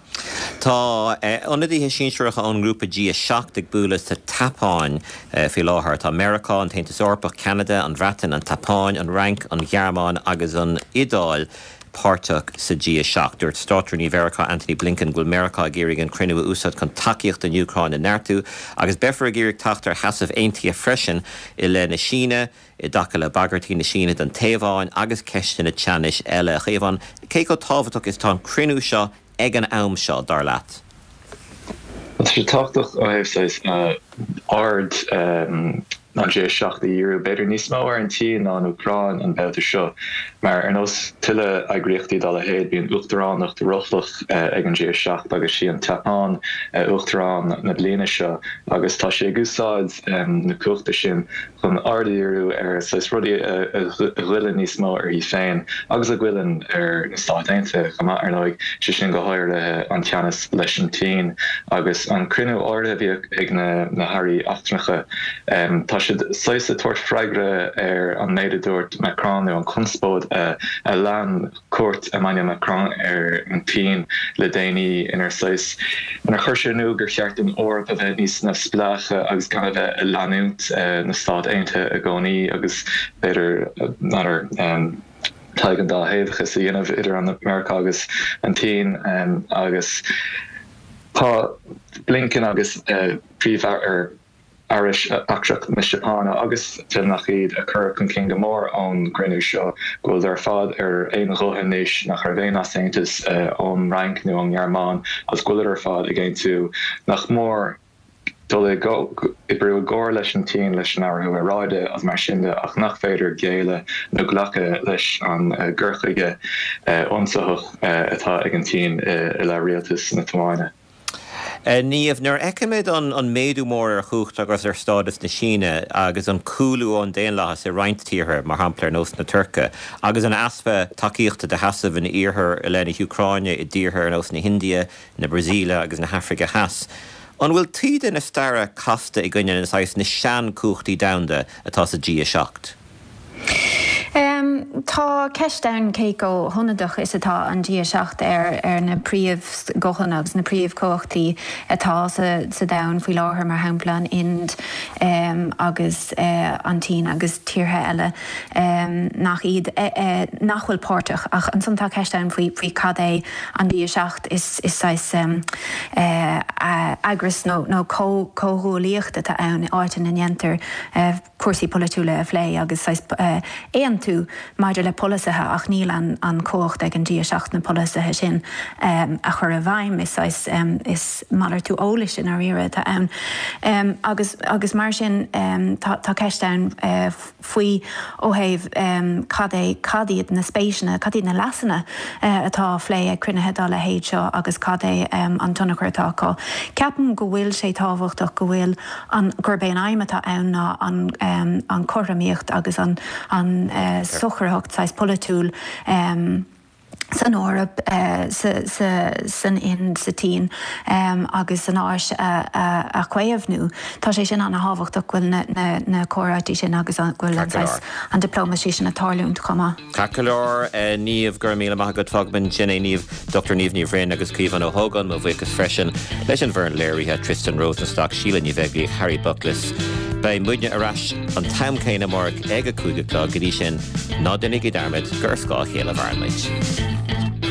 Tá ionadaithe sinsearacha ón ngrúpa G7 ag bualadh sa tSeapáin faoi láthair. Tá Meiriceá, an tAontas Eorpach, Ceanada, an Bhreatain, an tSeapáin, an Fhrainc, an Ghearmáin agus an Iodáil páirteach sa G7. Dúirt Státrúnaí Mheiriceá Antony Blinken go bhfuil Meiriceá ag iarraidh an cruinniú a úsáid chun tacaíocht don Úcráin a neartú agus beifear ag iarraidh teacht ar sheasamh aontaithe freisin i leith na Síne, i dtaca le bagairtí na Síne don Téaváin agus ceisteanna teannais eile. A Chaomháin, cé chomh tábhachtach is atá an cruinniú seo ag an am seo, dar leat? Tá sé tábhachtach ó thaobh saghas aird an G7 a dhíriú b'fhéidir níos mó ar an tSín ná an Úcráin an babhta seo, mar ar nós tuilleadh eagraíochtaí dá leithéid bíonn uachtaránacht rothlach ag an G7 agus sí an tSeapáin uachtarán na bliana seo agus tá sí ag úsáid na cumhachta sin chun aird a dhíriú ar saghas rudaí a ghoilleann níos mó uirthi féin agus a ghoilleann ar na Stáit Aontaithe chomh maith, ar ndóigh, sé sin go háirithe an teannas leis an tSín agus an cruinniú áirithe a bhí ag na hairí eachtrannacha. Tá siad saghas ag tabhairt freagra ar an méid a dúirt Macron nó an chonspóid a lean cuairt Emmanuel Macron ar an tSín le déanaí inar saghas, inar chuir sé in iúl gur cheart don Eoraip a bheith níos neamhspleáiche agus gan a bheith ag leanúint na Stát Aontaithe i gcónaí agus b'fhéidir, n'fheadar, tadhg an dá thaobhachas a dhéanamh idir an Meiriceá agus an tSín agus tá Blinken agus Príomh-Aire Aire Eachtrach na Seapáine agus tuilleadh nach iad, a cur chun cinn go mór ón gcruinniú seo go bhfuil ar fad ar aon ghuth anois nach raibh aon easaontas ón Fhrainc nó ón nGearmáin agus go bhfuilid ar fad ag aontú nach mór dul ag oibriú i gcomhar leis an tSín leis an athrú aeráide agus mar sin de ach nach féidir géilleadh nó glacadh leis an gcur chuige ionsaitheach atá ag an tSín i leith rialtas na Téaváine. Niamh, nuair a fheicimid an méadú mór ar chumhacht agus ar stádas na Síne agus an cúlú ón daonlathas i roinnt tíortha, mar shampla ar nós na Tuirce, agus an easpa tacaíochta do sheasamh an Iarthair i leith na hÚcráine i dtíortha ar nós na hIndia, na Brasaíle agus na hAfraice Theas, an bhfuil taoide na staire casta i gcoinne na saghas na seanchumhachtaí domhanda atá sa G7? Tá ceist ann cé chomh hionadach is atá an G7 ar ar na príomhghuthanna agus na príomhchumhachtaí atá sa domhan faoi láthair, mar shampla an Ind agus an tSín agus tíortha eile nach iad, nach bhfuil páirteach. Ach ansan tá ceist ann faoi faoi cad é an G7, is saghas eagras nó comhghuaillíocht atá ann, áit ina ndéantar cúrsaí polaitiúla a phlé agus saghas aontú maidir le polasaithe ach níl an chumhacht ag an G7 na polasaithe sin a chur i bhfeidhm. Is saghas, is malartú eolais i ndáiríre atá ann agus agus mar sin tá ceist ann faoi ó thaobh cad é, cad iad na spéiseanna, cad iad na leasanna atá á phlé ag cruinnithe dá leithéid seo agus cad é an tionchar atá acu. Ceapaim go bhfuil sé tábhachtach go bhfuil an gurb é an aidhm atá ann ná an an chothromaíocht agus an an socraitheacht saghas polaitiúil san Eoraip, sa sa san Ind, sa tSín agus san Áis a a chaomhnú. Tá sé sin an-thábhachtach go bhfuil na na na comhráití sin agus go bhfuil an saghas an diplomacy sin ag tarlúint chomh maith. Ceart go leor, Niamh, go raibh míle maith agat. Fágfaimid ansin é, Niamh, Dr Niamh Ní Bhroin agus Caomhán Ó hÓgáin. Mo bhuíochas freisin leis an bhfoireann léirithe, Tristan Rosenstock, Síle Ní Bheaglaoich, Harry Buckless. Beidh muidne ar ais an t-am céanna amárach ag a 5 a chlog. Go dtí sin, ná déanaigí dearmad gur ar scáth a chéile a mhaireann muid.